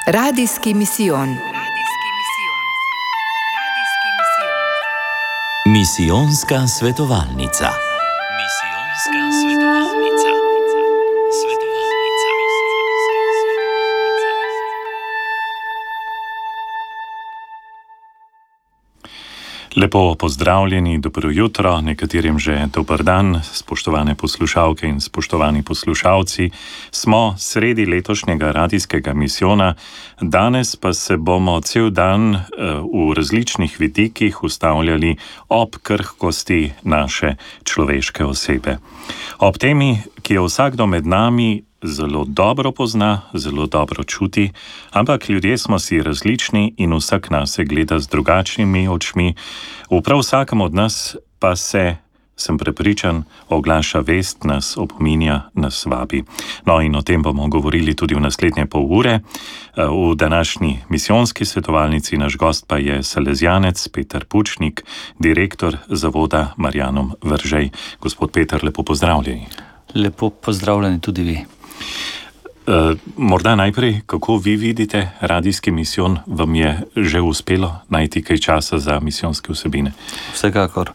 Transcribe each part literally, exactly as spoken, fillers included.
Radijski misijon. Misijonska svetovalnica. Misijonska svetovalnica. Svetovalnica. Lepo pozdravljeni, dobro jutro, nekaterim že dober dan, spoštovane poslušalke in spoštovani poslušalci. Smo sredi letošnjega radijskega misijona, danes pa se bomo cel dan v različnih vidikih ustavljali ob krhkosti naše človeške osebe. Ob temi, ki jo vsakdo med nami zelo dobro pozna, zelo dobro čuti, ampak ljudje smo si različni in vsak nas se gleda z drugačnimi očmi. V prav vsakem od nas pa se, sem prepričan, oglaša vest, nas opominja, nas vabi. No, in o tem bomo govorili tudi v naslednje pol ure. V današnji misijonski svetovalnici naš gost pa je salezjanec Peter Pučnik, direktor zavoda Marjanom Veržej. Gospod Peter, lepo pozdravljeni. Lepo pozdravljeni tudi vi. Uh, morda najprej, kako vi vidite radijski misijon, vam je že uspelo najti kaj časa za misijonske vsebine? Vsekakor.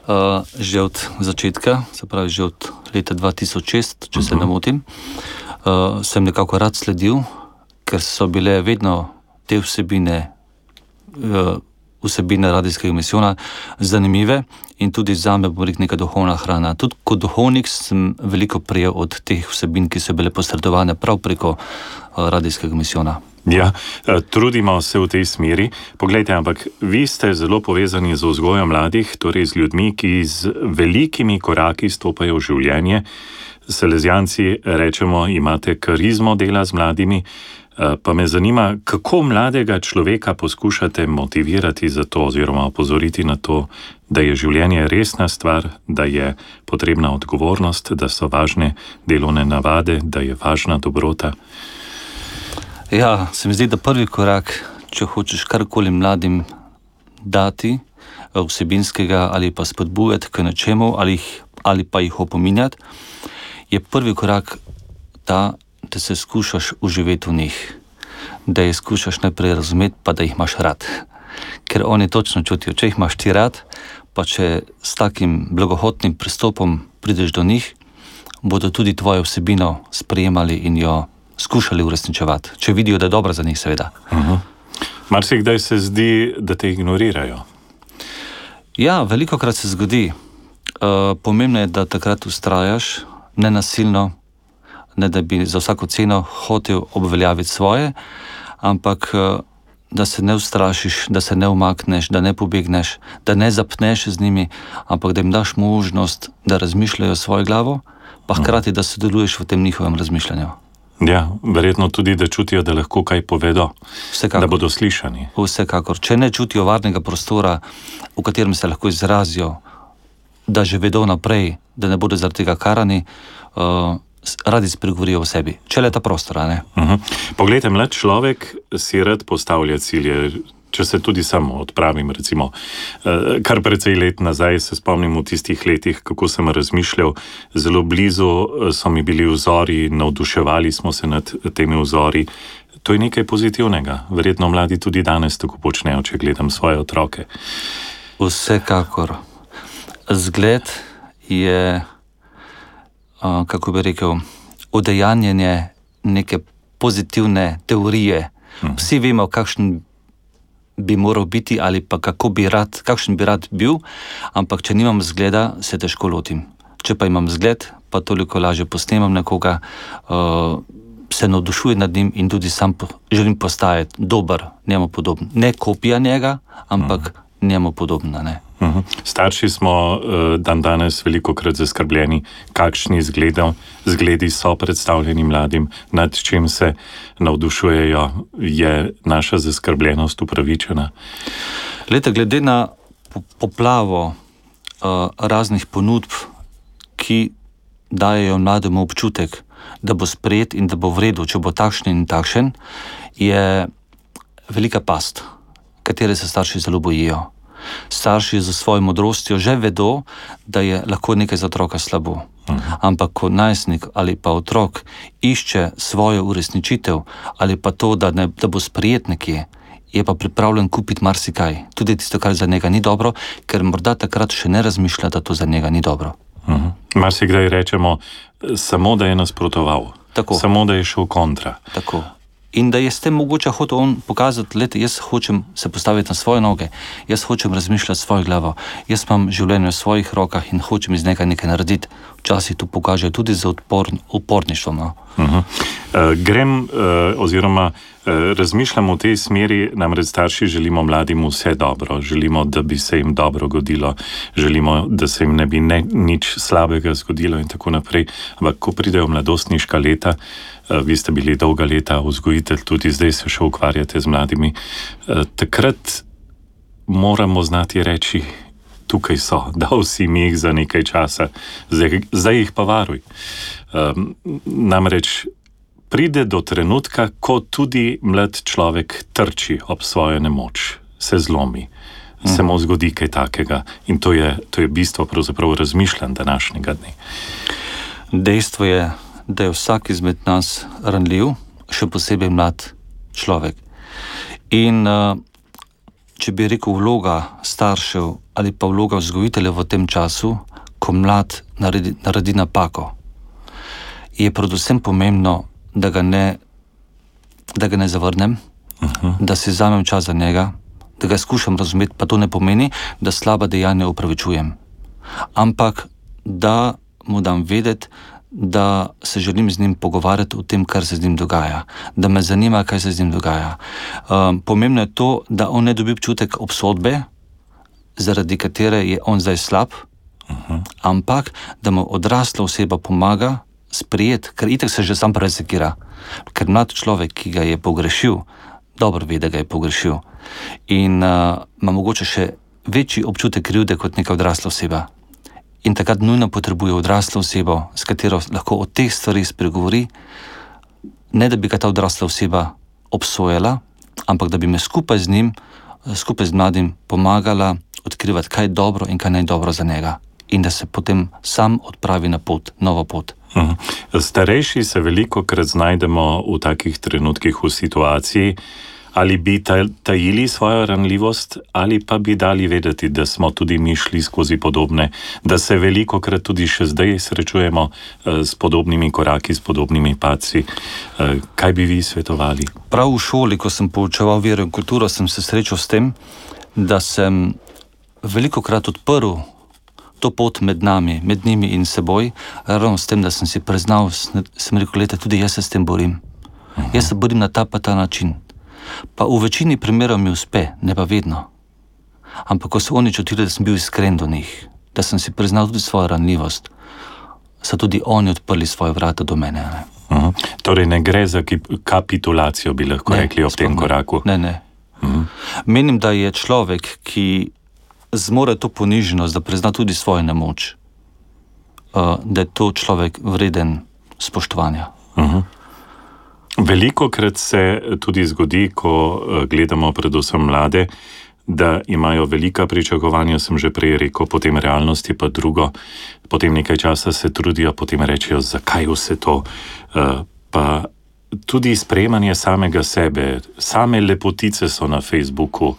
Uh, že od začetka, se pravi že od leta dva tisoč šest, če uh-huh. se ne motim, uh, sem nekako rad sledil, ker so bile vedno te vsebine, uh, vsebine radijskega misijona zanimive in tudi zame bo rekel neka duhovna hrana. Tudi kot duhovnik sem veliko prijel od teh vsebin, ki so bile posredovane prav preko uh, radijskega misijona. Ja, trudimo se v tej smeri. Poglejte, ampak vi ste zelo povezani z vzgojo mladih, torej z ljudmi, ki z velikimi koraki stopajo v življenje. Salezjanci, rečemo, imate karizmo dela z mladimi, pa me zanima, kako mladega človeka poskušate motivirati za to oziroma opozoriti na to, da je življenje resna stvar, da je potrebna odgovornost, da so važne delovne navade, da je važna dobrota. Ja, se mi zdi, da prvi korak, če hočeš karkoli mladim dati vsebinskega ali pa spodbujati k nečemu ali, ali pa jih opominjati, je prvi korak ta, da se skušaš uživeti v njih, da jih skušaš najprej razumeti, pa da jih imaš rad. Ker oni točno čutijo, če jih imaš ti rad, pa če s takim blagohotnim pristopom prideš do njih, bodo tudi tvojo vsebino sprejemali in jo skušali uresničevati, če vidijo, da je dobra za njih, seveda. Uh-huh. Marsikdaj se zdi, da te ignorirajo. Ja, velikokrat se zgodi. Uh, pomembno je, da takrat ustrajaš, nenasilno, ne da bi za vsako ceno hotel obveljaviti svoje, ampak uh, da se ne ustrašiš, da se ne umakneš, da ne pobegneš, da ne zapneš z njimi, ampak da jim daš možnost, da razmišljajo svojo glavo, pa hkrati, da sodeluješ v tem njihovem razmišljanju. Ja, verjetno tudi, da čutijo, da lahko kaj povedo, Vsekakor. Da bodo slišani. Vsekakor. Če ne čutijo varnega prostora, v katerem se lahko izrazijo, da že vedo naprej, da ne bodo zaradi tega karani, uh, radi spregovorijo o sebi. Če le ta prostora, ne? Uh-huh. Poglejte, mlad človek si rad postavlja cilje. Če se tudi samo odpravim, recimo, kar precej let nazaj se spomnim v tistih letih, kako sem razmišljal, zelo blizu so mi bili vzori, navduševali smo se nad temi vzori. To je nekaj pozitivnega. Verjetno mladi tudi danes tako počnejo, če gledam svoje otroke. Vsekakor. Zgled je, kako bi rekel, udejanjenje neke pozitivne teorije. Vsi vemo, kakšen bi moral biti ali pa kako bi rad, kakšen bi rad bil, ampak če nimam zgleda, se težko lotim. Če pa imam zgled, pa toliko lažje posnemam nekoga, uh, se navdušujem nad njim in tudi sam po, želim postajati dober, njemu podoben. Ne kopija njega, ampak uh-huh. njemu podobna, ne. Uh-huh. Starši smo uh, dan danes velikokrat zaskrbljeni, kakšni zgledov, zgledi so predstavljeni mladim, nad čim se navdušujejo, je naša zaskrbljenost upravičena. Glede, glede na poplavo uh, raznih ponudb, ki dajejo mlademu občutek, da bo sprejet in da bo v redu, če bo takšen in takšen, je velika past, katere se starši zelo bojijo. Starši za svojo modrostjo že vedo, da je lahko nekaj za otroka slabo. Uh-huh. Ampak ko najstnik ali pa otrok išče svojo uresničitev ali pa to, da, ne, da bo sprejet nekje, je pa pripravljen kupiti marsikaj. Tudi tisto, kar za njega ni dobro, ker morda takrat še ne razmišlja, da to za njega ni dobro. Uh-huh. Marsikdaj rečemo samo, da je nasprotoval. Tako. Samo, da je šel kontra. Tako. In da je s tem mogoče hotel on pokazati, leti, jaz hočem se postaviti na svoje noge, jaz hočem razmišljati svojo glavo, jaz imam življenje v svojih rokah in hočem iz nekaj nekaj narediti. Včasih to pokaže tudi za upor, uporništvom. No? Uh-huh. uh, grem uh, oziroma uh, razmišljam v tej smeri, namreč starši želimo mladim vse dobro, želimo, da bi se jim dobro godilo, želimo, da se jim ne bi ne, nič slabega zgodilo in tako naprej. Ampak ko pridejo mladostniška leta, uh, vi ste bili dolga leta vzgojitelj, tudi zdaj se še ukvarjate z mladimi, uh, takrat moramo znati reči, tukaj so, dal si mi jih za nekaj časa, zdaj, zdaj jih pa varuj. Um, namreč pride do trenutka, ko tudi mlad človek trči ob svojo nemoč, se zlomi, mm. se mu zgodi kaj takega in to je, to je bistvo pravzaprav razmišljanj današnjega dne. Dejstvo je, da je vsak izmed nas ranljiv, še posebej mlad človek. In uh, če bi rekel vloga staršev ali pa vloga vzgojitelja v tem času, ko mlad naredi, naredi napako, je predvsem pomembno, da ga ne, da ga ne zavrnem, uh-huh. da si vzamem čas za njega, da ga skušam razumeti, pa to ne pomeni, da slaba dejanja upravičujem. Ampak da mu dam vedeti, da se želim z njim pogovarjati o tem, kar se z njim dogaja, da me zanima, kaj se z njim dogaja. Um, pomembno je to, da on ne dobi občutek obsodbe, zaradi katere je on zdaj slab, uh-huh. ampak da mu odrasla oseba pomaga sprejeti, ker itak se že sam presekira. Ker mlad človek, ki ga je pogrešil, dobro ve, da ga je pogrešil in uh, ima mogoče še večji občutek krivde kot neka odrasla oseba. In takrat nujno potrebuje odraslo osebo, s katero lahko o teh stvarih spregovori, ne da bi ga ta odrasla oseba obsojala, ampak da bi me skupaj z njim, skupaj z mladim pomagala odkrivati, kaj je dobro in kaj ne je dobro za njega. In da se potem sam odpravi na pot, novo pot. Uh-huh. Starejši se veliko krat znajdemo v takih trenutkih v situaciji, ali bi tajili svojo ranljivost, ali pa bi dali vedeti, da smo tudi mi šli skozi podobne, da se veliko krat tudi še zdaj srečujemo uh, s podobnimi koraki, s podobnimi padci. Uh, kaj bi vi svetovali? Prav v šoli, ko sem poučeval vero in kulturo, sem se srečal s tem, da sem veliko krat odprl to pot med nami, med njimi in seboj, ravno s tem, da sem si priznal, sem rekel, leta, tudi jaz se s tem borim. Uh-huh. Jaz se borim na ta pa ta način. Pa v večini primerov mi uspe, ne pa vedno. Ampak ko so oni čutili, da sem bil iskren do njih, da sem si priznal tudi svojo ranljivost, so tudi oni odprli svoje vrata do mene. Ne? Uh-huh. Torej ne gre za kapitulacijo, bi lahko ne, rekli ob tem koraku. Ne, ne. Uh-huh. Menim, da je človek, ki zmore to poniženost, da prizna tudi svojo nemoč, uh, da je to človek vreden spoštovanja. Uh-huh. Veliko krat se tudi zgodi, ko gledamo predvsem mlade, da imajo velika pričakovanja, sem že prej rekel, potem realnosti pa drugo, potem nekaj časa se trudijo, potem rečejo, zakaj vse to, pa tudi sprejemanje samega sebe, same lepotice so na Facebooku,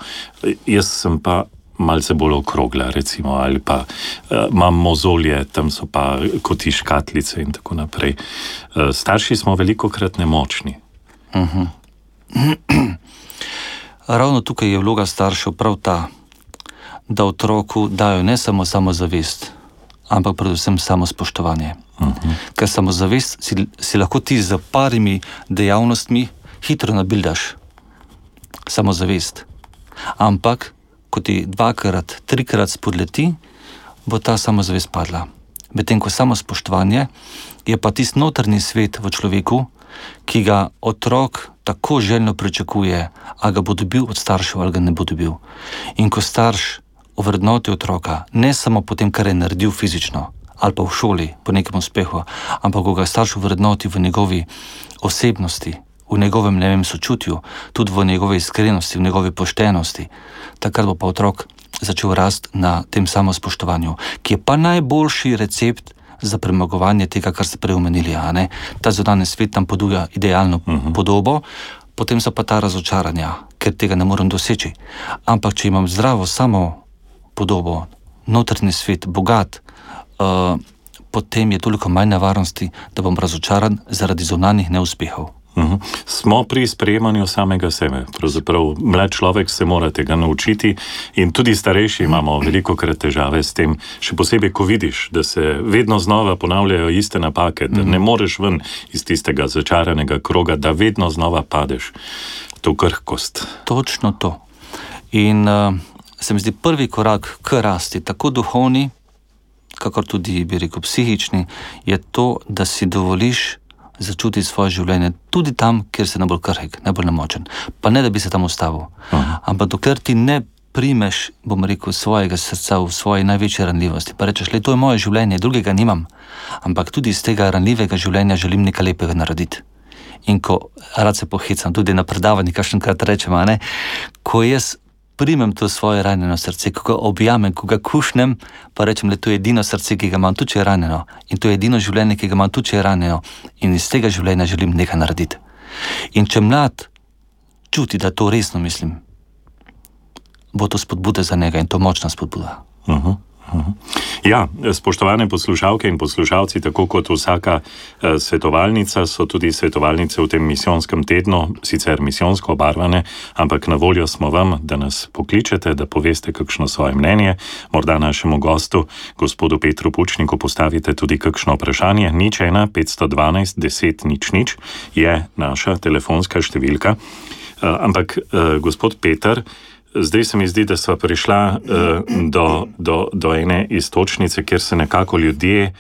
jaz sem pa malce bolj okrogla, recimo, ali pa uh, imam mozolje, tam so pa koti škatlice in tako naprej. Uh, starši smo veliko krat nemočni. Uh-huh. Ravno tukaj je vloga staršev prav ta, da otroku dajo ne samo samozavest, ampak predvsem samospoštovanje. Uh-huh. Ker samozavest si, si lahko ti z parimi dejavnostmi hitro nabildaš. Samozavest. Ampak ko ti dvakrat, trikrat spodleti, bo ta samozavest padla. Medtem ko samospoštovanje je pa tisti notrni svet v človeku, ki ga otrok tako željno pričakuje, a ga bo dobil od staršev ali ga ne bo dobil. In ko starš ovrednoti otroka, ne samo po tem, kar je naredil fizično, ali pa v šoli po nekem uspehu, ampak ko ga starš ovrednoti v njegovi osebnosti, v njegovem, ne vem, sočutju, tudi v njegovi iskrenosti, v njegovi poštenosti, takrat bo pa otrok začel rast na tem samospoštovanju, ki je pa najboljši recept za premagovanje tega, kar ste prej omenili. Ta zunanji svet nam ponuja idealno uh-huh. podobo, potem so pa ta razočaranja, ker tega ne morem doseči. Ampak če imam zdravo samo podobo, notranji svet, bogat, uh, potem je toliko manj nevarnosti, da bom razočaran zaradi zunanjih neuspehov. Uhum. Smo pri sprejemanju samega sebe. Pravzaprav mlad človek se mora tega naučiti in tudi starejši imamo veliko krat težave s tem, še posebej, ko vidiš, da se vedno znova ponavljajo iste napake, da ne moreš ven iz tistega začaranega kroga, da vedno znova padeš v to krhkost. Točno to. In uh, se mi zdi prvi korak k rasti, tako duhovni, kakor tudi, bi rekel, psihični, je to, da si dovoliš začuti svoje življenje tudi tam, kjer se najbolj krhek, najbolj nemočen. Pa ne, da bi se tam ustavil. Aha. Ampak dokler ti ne primeš, bom rekel, svojega srca v svoji največji ranljivosti, pa rečeš, le, to je moje življenje, drugega nimam, ampak tudi iz tega ranljivega življenja želim nekaj lepega narediti. In ko rad se pohecam, tudi na predavanji, kakšenkrat rečem, a ne, ko jaz primem to svoje ranjeno srce, ko ga objamem, ko ga kušnem, pa rečem, le, to je edino srce, ki ga imam, tudi če je ranjeno. In to je edino življenje, ki ga imam, tudi če je ranjeno. In iz tega življenja želim nekaj narediti. In če mlad čuti, da to resno mislim, bo to spodbuda za njega in to močna spodbuda. Uh-huh. Ja, spoštovane poslušalke in poslušalci, tako kot vsaka eh, svetovalnica, so tudi svetovalnice v tem misijonskem tednu, sicer misijonsko obarvane, ampak na voljo smo vam, da nas pokličete, da poveste kakšno svoje mnenje, morda našemu gostu, gospodu Petru Pučniku, postavite tudi kakšno vprašanje. Nič ena, petsto dvanajst, deset, nič, nič je naša telefonska številka. Eh, ampak, eh, gospod Peter, zdaj se mi zdi, da sva prišla uh, do, do, do ene iztočnice, kjer se nekako ljudje,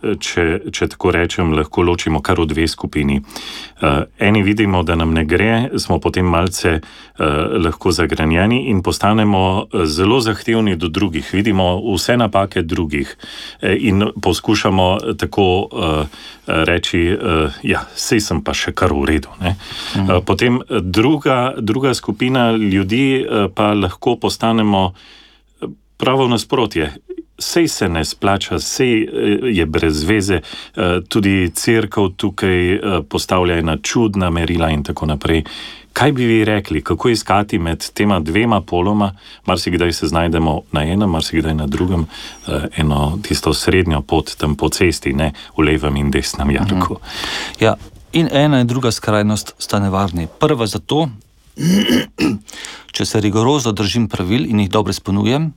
če, če tako rečem, lahko ločimo kar v dve skupini. Uh, eni vidimo, da nam ne gre, smo potem malce uh, lahko zagranjeni in postanemo zelo zahtevni do drugih. Vidimo vse napake drugih uh, in poskušamo tako uh, reči, uh, ja, sej sem pa še kar v redu. Ne? Mhm. Uh, potem druga, druga skupina ljudi uh, pa lahko postanemo pravo nasprotje. Sej se ne splača, sej je brez veze, tudi cerkev tukaj postavlja ena čudna merila in tako naprej. Kaj bi vi rekli, kako iskati med tema dvema poloma, marsikdaj se znajdemo na enem, marsikdaj na drugem, eno tisto srednjo pot tam po cesti, ne v levem in desnem jarku. Ja, in ena in druga skrajnost sta nevarni. Prva zato, če se rigorozno držim pravil in jih dobro izpolnjujem,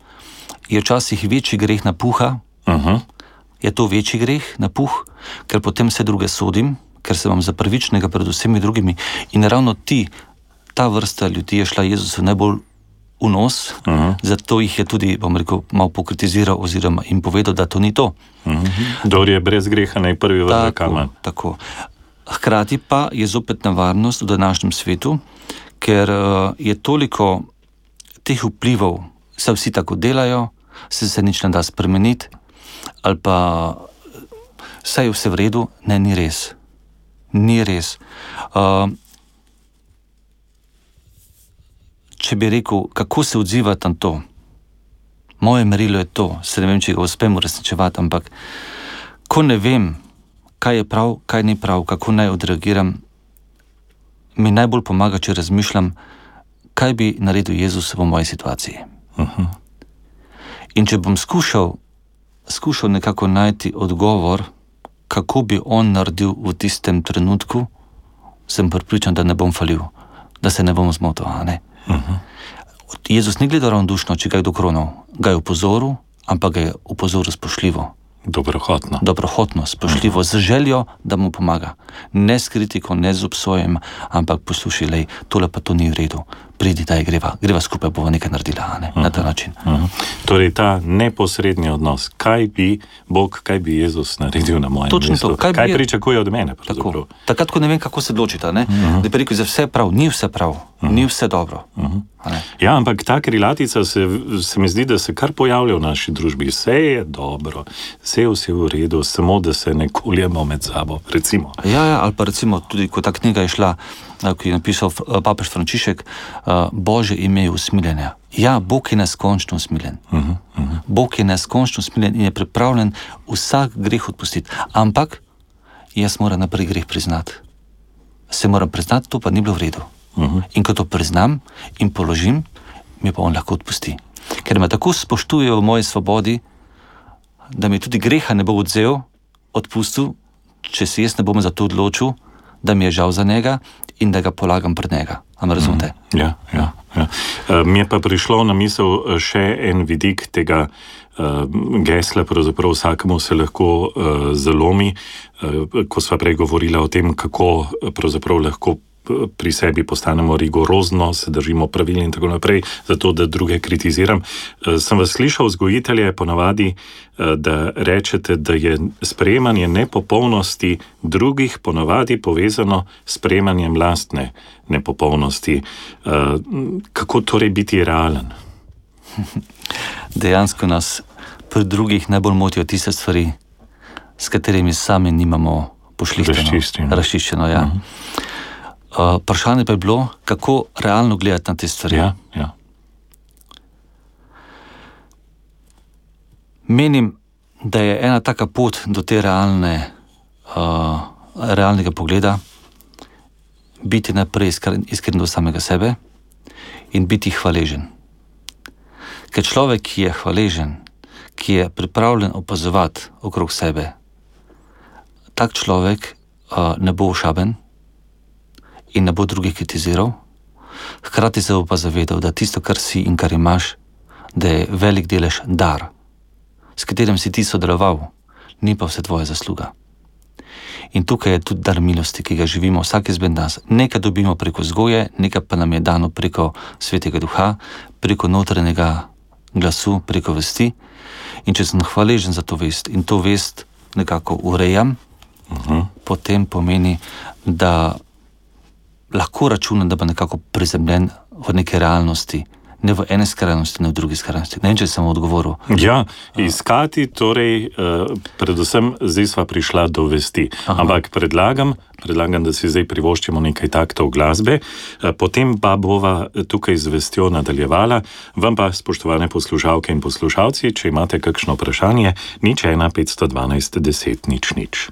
je včasih večji greh napuha, uh-huh. je to večji greh napuh, ker potem vse druge sodim, ker se vam za prvičnega pred vsemi drugimi in ravno ti, ta vrsta ljudi je šla Jezusu najbolj v nos, uh-huh. zato jih je tudi, bom rekel, malo pokritiziral oziroma jim povedal, da to ni to. Uh-huh. Dor je brez greha naj prvi vrže kamen. Tako. Hkrati pa je zopet nevarnost v današnjem svetu, ker uh, je toliko teh vplivov, se vsi tako delajo, se se nič ne da spremeniti, ali pa saj je vse v redu, ne, ni res. Ni res. Uh, če bi rekel, kako se odzivati na to, moje merilo je to, se ne vem, če ga uspem uresničevati, ampak ko ne vem, kaj je prav, kaj ni prav, kako naj odreagiram, mi najbolj pomaga, če razmišljam, kaj bi naredil Jezus v moji situaciji. Uh-huh. In če bom skušal, skušal nekako najti odgovor, kako bi on naredil v tistem trenutku, sem prepričan, da ne bom falil, da se ne bom zmotil. Ne? Uh-huh. Jezus ni gledal ravnodušno, če ga je dokronal, ga je upozoril, ampak ga je upozoril spoštljivo. Dobrohotno. Dobrohotno, spoštljivo, uh-huh. z željo, da mu pomaga. Ne s kritiko, ne z obsojem, ampak poslušaj, lej, tole pa to ni v redu. Pridi, daj, greva, greva skupaj, bova nekaj naredila, ne? Uh-huh. Na ta način. Uh-huh. Torej, ta neposredni odnos, kaj bi Bog, kaj bi Jezus naredil na mojem Točno mestu? To, kaj, kaj bi... pričakuje od mene? Tako, takrat, ko ne vem, kako se odločita, ne? Uh-huh. Da bi rekel, za vse prav, ni vse prav, uh-huh. ni vse dobro. Uh-huh. Ja, ampak ta krilatica se, se mi zdi, da se kar pojavlja v naši družbi. Vse je dobro, vse je vse v redu, samo da se ne koljemo med sabo, recimo. Ja, ja, ali pa recimo tudi, ko ta knjiga je šla, ki je napisal papež Frančišek, Božje ime je usmiljenja. Ja, Bog je neskončno usmiljen. Uh-huh, uh-huh. Bog je neskončno usmiljen in je pripravljen vsak greh odpustiti. Ampak jaz moram naprej greh priznati. Se moram priznati, to pa ni bilo v redu. Uh-huh. In ko to priznam in položim, mi pa on lahko odpusti. Ker me tako spoštujejo v moji svobodi, da mi tudi greha ne bo odzel, odpustil, če se jaz ne bom za to odločil, da mi je žal za njega in da ga polagam pred njega. A me razumete? Mm, ja, ja, ja. Uh, mi je pa prišlo na misel še en vidik tega uh, gesla, pravzaprav vsakemu se lahko uh, zalomi, uh, ko sva prej govorila o tem, kako pravzaprav lahko pri sebi postanemo rigorozno, se držimo pravil in tako naprej, zato da druge kritiziram. Sem vas slišal, vzgojitelje, ponavadi, da rečete, da je sprejemanje nepopolnosti drugih ponavadi povezano s sprejemanjem lastne nepopolnosti. Kako torej biti realen? Dejansko nas pri drugih najbolj motijo tiste stvari, s katerimi sami nimamo pošlihteno, razčiščeno, ja. Uh-huh. Uh, vprašanje pa je bilo, kako realno gledati na te stvari. Ja, ja. Menim, da je ena taka pot do te realne, uh, realnega pogleda biti najprej iskren, iskren do samega sebe in biti hvaležen. Ker človek, ki je hvaležen, ki je pripravljen opazovati okrog sebe, tak človek uh, ne bo ošaben in ne bo drugih kritiziral, hkrati se bo pa zavedal, da tisto, kar si in kar imaš, da je velik delež dar, s katerim si ti sodeloval, ni pa vse tvoja zasluga. In tukaj je tudi dar milosti, ki ga živimo vsak izmed nas. Nekaj dobimo preko vzgoje, nekaj pa nam je dano preko Svetega Duha, preko notranjega glasu, preko vesti. In če sem hvaležen za to vest in to vest nekako urejam, uh-huh. potem pomeni, da lahko računam, da bo nekako prizemljen v neke realnosti, ne v ene skrajnosti, ne v drugi skrajnosti. Ne vem, če sem odgovoril. Ja, iskati, torej, uh, predvsem zdaj sva prišla do vesti. Aha. Ampak predlagam, predlagam, da si zdaj privoščimo nekaj taktov glasbe, uh, potem pa bova tukaj z vestjo nadaljevala. Vam pa, spoštovane poslušalke in poslušalci, če imate kakšno vprašanje, nič ena petsto dvanajst deset nič nič.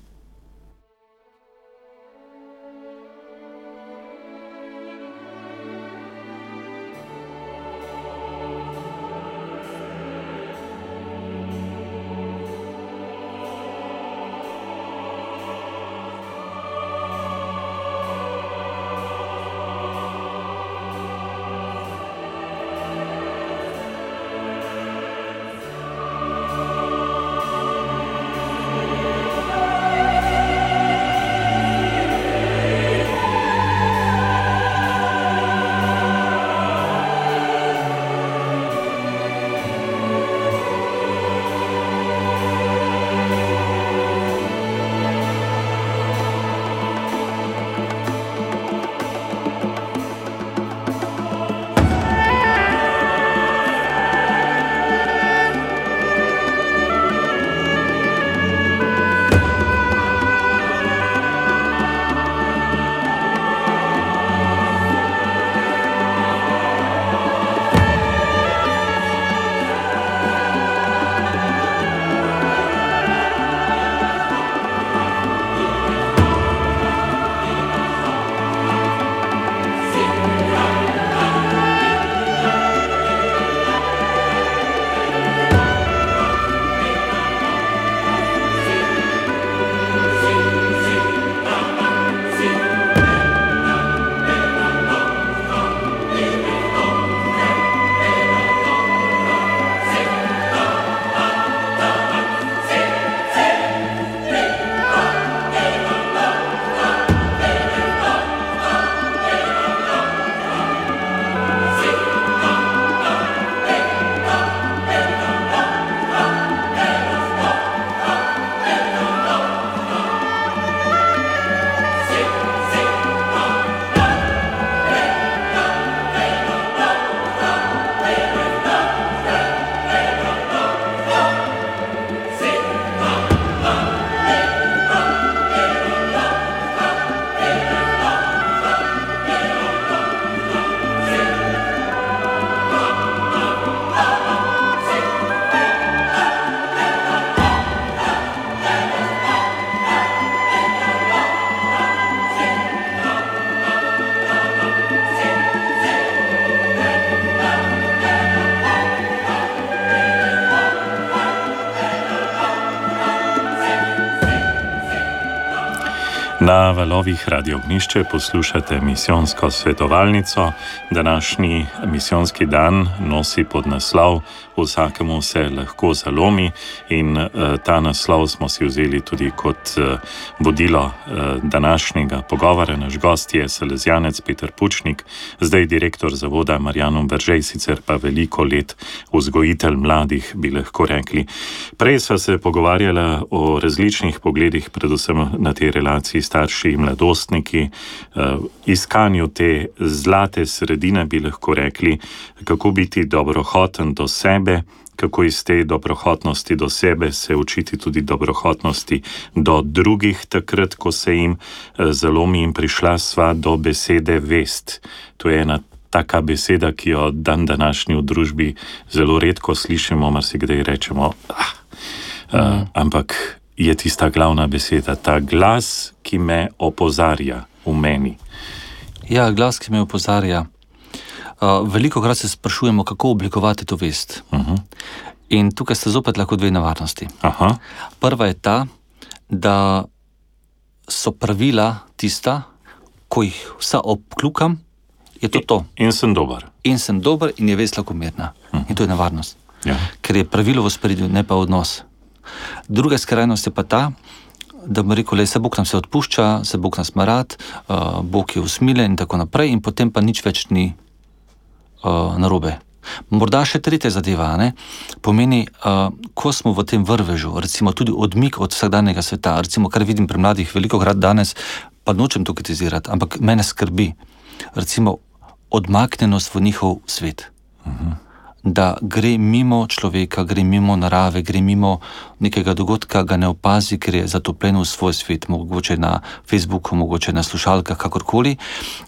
Na valovih Radio Ognišče poslušate misijonsko svetovalnico. Današnji misijonski dan nosi podnaslov Vsakemu se lahko zalomi in uh, ta naslov smo si vzeli tudi kot uh, vodilo uh, današnjega pogovora. Naš gost je salezijanec Peter Pučnik, zdaj direktor zavoda Marjanum Veržej, sicer pa veliko let vzgojitelj mladih, bi lahko rekli. Prej sva se pogovarjala o različnih pogledih, predvsem na tej relaciji starši in mladostniki, uh, iskanju te zlate sredine, bi lahko rekli, kako biti dobrohoten do sebe, kako iz te dobrohotnosti do sebe se učiti tudi dobrohotnosti do drugih, takrat, ko se jim zalomi, in prišla sva do besede vest. To je ena taka beseda, ki jo dan današnji v družbi zelo redko slišimo, marsikdaj rečemo, ah, uh, ampak je tista glavna beseda, ta glas, ki me opozarja v meni. Ja, glas, ki me opozarja. Uh, veliko krat se sprašujemo, kako oblikovati to vest. Uh-huh. In tukaj sta zopet lahko dve nevarnosti. Aha. Prva je ta, da so pravila tista, ko jih vsa obklukam, je to to. In, in sem dober. In sem dober in je vest lahko mirna. Uh-huh. In to je nevarnost. Ja. Ker je pravilo v ospredju, ne pa odnos. Druga skrajnost je pa ta, da bomo rekli, se Bog nam se odpušča, se Bog nas ima rad, uh, Bog je usmiljen in tako naprej, in potem pa nič več ni Uh, narobe. Morda še tretja zadeva, ne? Pomeni, uh, ko smo v tem vrvežu, recimo tudi odmik od vsakdanjega sveta, recimo kar vidim pri mladih veliko krat danes, pa nočem to kritizirati, ampak mene skrbi, recimo odmaknenost v njihov svet. Uh-huh. Da gre mimo človeka, gre mimo narave, gre mimo nekega dogodka, ga ne opazi, ker je zatopljen v svoj svet, mogoče na Facebooku, mogoče na slušalkah, kakorkoli.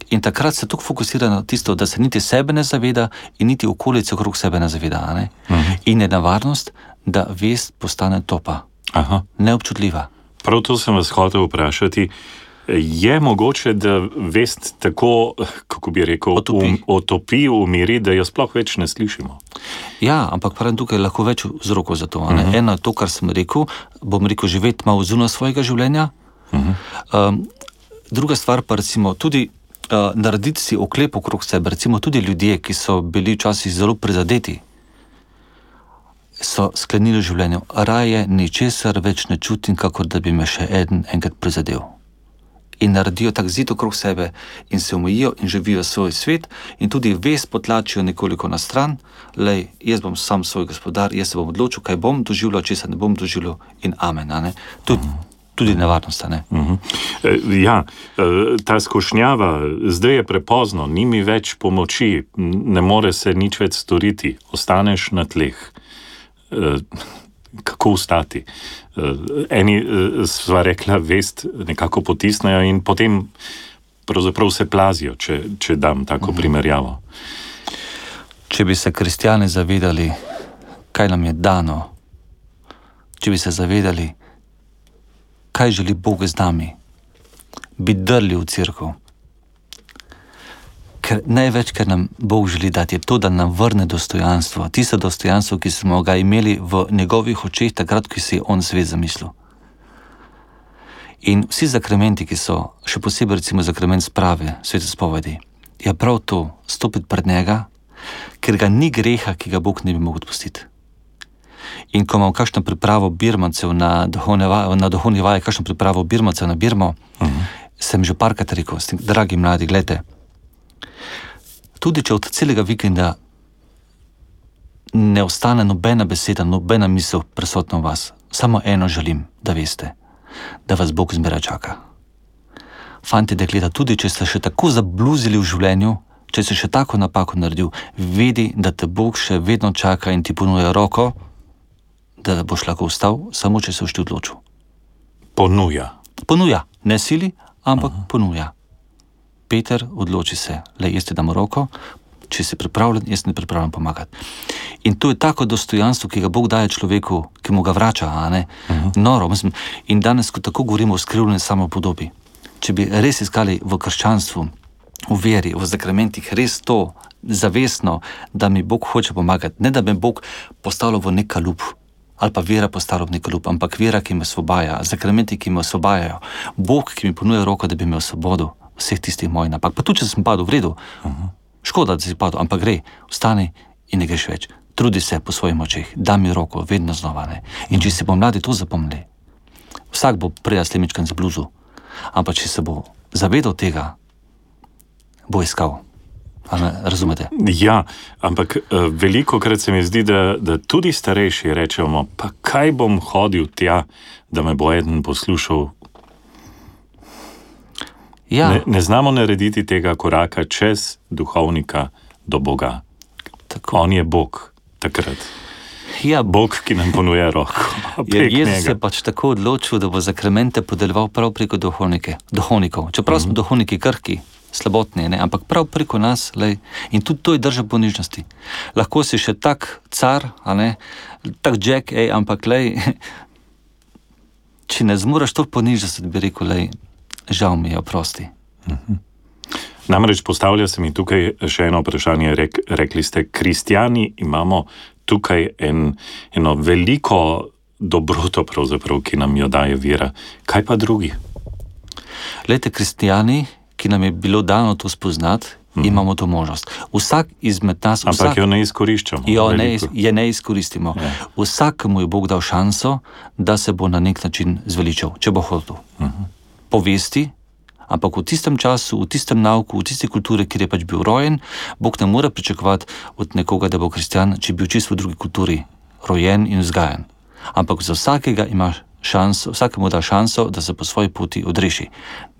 In takrat se tako fokusira na tisto, da se niti sebe ne zaveda in niti okolice okrog sebe ne zaveda. Ne? Uh-huh. In je nevarnost, da vest postane topa. Aha. Neobčutljiva. Prav to sem vas hotel vprašati. Je mogoče, da vest tako, kako bi rekel, otopi, um, otopi v meri, da jo sploh več ne slišimo? Ja, ampak pravim, tukaj je lahko več vzrokov za to. Uh-huh. Eno je to, kar sem rekel, bom rekel, živeti malo zunaj svojega življenja. Uh-huh. Um, druga stvar pa recimo tudi uh, narediti si oklep okrog sebe, recimo tudi ljudje, ki so bili včasih zelo prizadeti, so sklenili v življenju, raje ničesar več ne čutim, kakor da bi me še eden enkrat prizadel. In naredijo tak zid okrog sebe in se omejijo in živijo svoj svet in tudi vest potlačijo nekoliko na stran, lej, jaz bom sam svoj gospodar, jaz se bom odločil, kaj bom doživljal, česa ne bom doživljal in amen, a ne? Tudi, tudi nevarnost, a ne? Uh-huh. Ja, ta skušnjava, zdaj je prepozno, ni mi več pomoči, ne more se nič več storiti, ostaneš na tleh. Kako ustati? Eni sva rekla, vest nekako potisnejo in potem pravzaprav se plazijo, če, če dam tako mm. primerjavo. Če bi se kristjani zavedali, kaj nam je dano, če bi se zavedali, kaj želi Bog z nami, bi drli v cerkev. Ker največ, kar nam Bog želi dati, je to, da nam vrne dostojanstvo. Tisto dostojanstvo, ki smo ga imeli v njegovih očeh, takrat, ko si je on svet zamislil. In vsi zakramenti, ki so, še posebej recimo zakrament sprave, svete spovedi, je prav to, stopiti pred njega, ker ga ni greha, ki ga Bog ne bi mogel odpustiti. In ko imam kakšno pripravo birmancev na duhovne vaje, kakšno pripravo birmancev na Birmo, uh-huh. sem že parkrat rekel, dragi mladi, gledajte, tudi če od celega vikenda ne ostane nobena beseda, nobena misel prisotna v vas, samo eno želim, da veste, da vas Bog zmeraj čaka. Fantje, dekleta, tudi če ste še tako zabluzili v življenju, če ste še tako napako naredil, vedi, da te Bog še vedno čaka in ti ponuja roko, da boš lahko vstal, samo če se boš ti odločil. Ponuja. Ponuja. Ne sili, ampak uh-huh. ponuja. Peter, odloči se, le jaz ti dam roko, če si pripravljen, jaz ne pripravljam pomagati. In to je tako dostojanstvo, ki ga Bog daje človeku, ki mu ga vrača, a ne? Uh-huh. Noro, mislim. In danes, ko tako govorimo o skrivljeni samopodobi, če bi res iskali v krščanstvu, v veri, v zakramentih, res to zavestno, da mi Bog hoče pomagati, ne da bi Bog postavljal v nek kalup, ali pa vera po starobni klub, ampak vera, ki me osvobaja, zakramenti, ki me osvobajajo, Bog, ki mi ponuja roko, da bi imel svobodo vseh tistih mojih napak. Pa tudi, če sem padel v redu, uh-huh. škoda, da si padel, ampak gre, vstani in ne greš več. Trudi se po svojih močeh, da mi roko, vedno znova. Ne? In če si bo mladi to zapomnili, vsak bo prej slemičkan z bluzu, ampak če se bo zavedal tega, bo iskal. Razumete? Ja, ampak uh, veliko krat se mi zdi, da, da tudi starejši rečemo, pa kaj bom hodil tja, da me bo eden poslušal. Ja. Ne, ne znamo narediti tega koraka čez duhovnika do Boga. Tako. On je Bog takrat. Ja. Bog, ki nam ponuja roko. Ja, Jezus je pač tako odločil, da bo zakramente podeljeval prav preko duhovnike, duhovnikov. Čeprav mm-hmm. smo duhovniki krhki, slabotni, ne? Ampak prav preko nas, lej, in tudi to je drža ponižnosti. Lahko si še tak car, a ne, tak Jack, ej, ampak lej, če ne zmuraš to ponižnosti, bi rekel, lej, žal mi je, oprosti. Mm-hmm. Namreč postavlja se mi tukaj še eno vprašanje. Rek, rekli ste, kristjani imamo tukaj en, eno veliko dobroto, pravzaprav, ki nam jo daje vera. Kaj pa drugi? Glejte, kristjani, ki nam je bilo dano to spoznati, mm-hmm. imamo to možnost. Vsak izmed nas... Ampak vsak, jo ne izkoriščamo. Jo ne, je ne izkoristimo. Ja. Vsakemu je Bog dal šanso, da se bo na nek način zveličal, če bo hotel. Mm-hmm. Povesti, ampak v tistem času, v tistem nauku, v tisti kulturi, kjer je pač bil rojen, Bog ne mora pričakovati od nekoga, da bo kristjan, če bi bil čisto v drugi kulturi rojen in vzgajan. Ampak za vsakega ima šanso, vsakemu da šanso, da se po svoji poti odreši.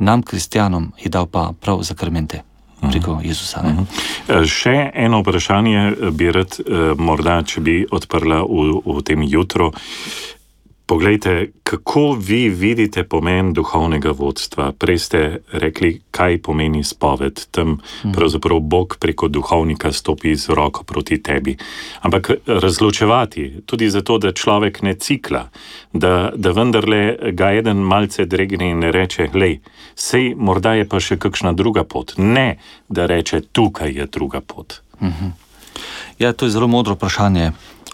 Nam, kristjanom, je dal pa prav zakramente preko Jezusa. Ne? Uh-huh. Še eno vprašanje bi rad, morda, če bi odprla v, v tem jutru. Poglejte, kako vi vidite pomen duhovnega vodstva? Prej ste rekli, kaj pomeni spoved. Tam pravzaprav Bog preko duhovnika stopi z roko proti tebi. Ampak razločevati, tudi zato, da človek ne cikla, da, da vendarle ga eden malce dregne in ne reče, glej, sej morda je pa še kakšna druga pot. Ne, da reče, tukaj je druga pot. Mhm. Ja, to je zelo modro vprašanje.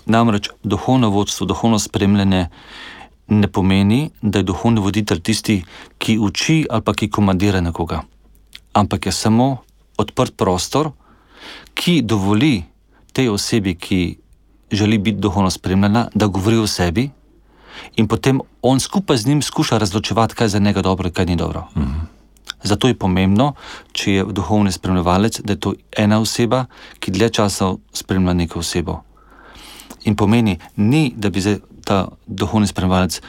Namreč duhovno vodstvo, duhovno spremljanje ne pomeni, da je duhovni voditelj tisti, ki uči ali pa ki komandira nekoga. Ampak je samo odprt prostor, ki dovoli tej osebi, ki želi biti duhovno spremljena, da govori o sebi in potem on skupaj z njim skuša razločevati, kaj je za njega dobro in kaj ni dobro. Mhm. Zato je pomembno, če je duhovni spremljevalec, da je to ena oseba, ki dlje časa spremlja neko osebo. In pomeni, ni, da bi ta duhovni spremljevalec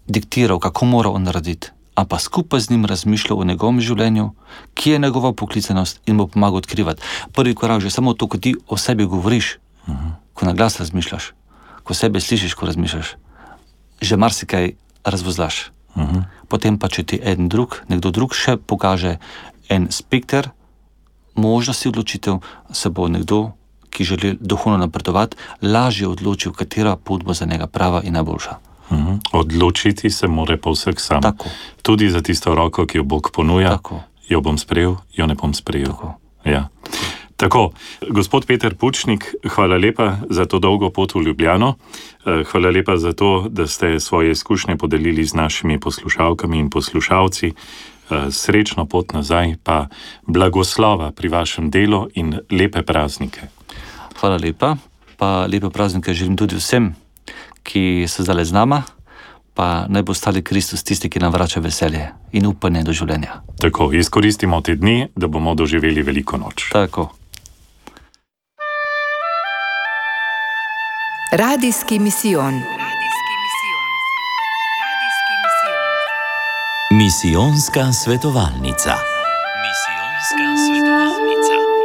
diktiral, kako mora on narediti, ampak skupaj z njim razmišljal o njegovem življenju, ki je njegova poklicanost in mu pomaga odkrivati. Prvi korak, že samo to, ko ti o sebi govoriš, uh-huh. ko na glas razmišljaš, ko sebe slišiš, ko razmišljaš, že marsikaj razvozlaš. Uh-huh. Potem pa, če ti eden drug, nekdo drug še pokaže en spekter možnosti odločitev, se bo nekdo, ki želi duhovno napredovati, lažje odločil, katera pot bo za njega prava in najboljša. Uh-huh. Odločiti se mora pa vsak sam. Tako. Tudi za tisto roko, ki jo Bog ponuja, Tako. jo bom sprejel, jo ne bom sprejel. Tako. Ja. Tako, gospod Peter Pučnik, hvala lepa za to dolgo pot v Ljubljano. Hvala lepa za to, da ste svoje izkušnje podelili z našimi poslušalkami in poslušalci. Srečno pot nazaj, pa blagoslova pri vašem delu in lepe praznike. Hvala lepa, pa lepe praznike želim tudi vsem, ki so zdaj z nama, pa naj bo ostali Kristus tisti, ki nam vrača veselje in upanje do življenja. Tako, izkoristimo te dni, da bomo doživeli veliko noč. Tako. Radijski misijon. Misijonska svetovalnica. Misijonska svetovalnica.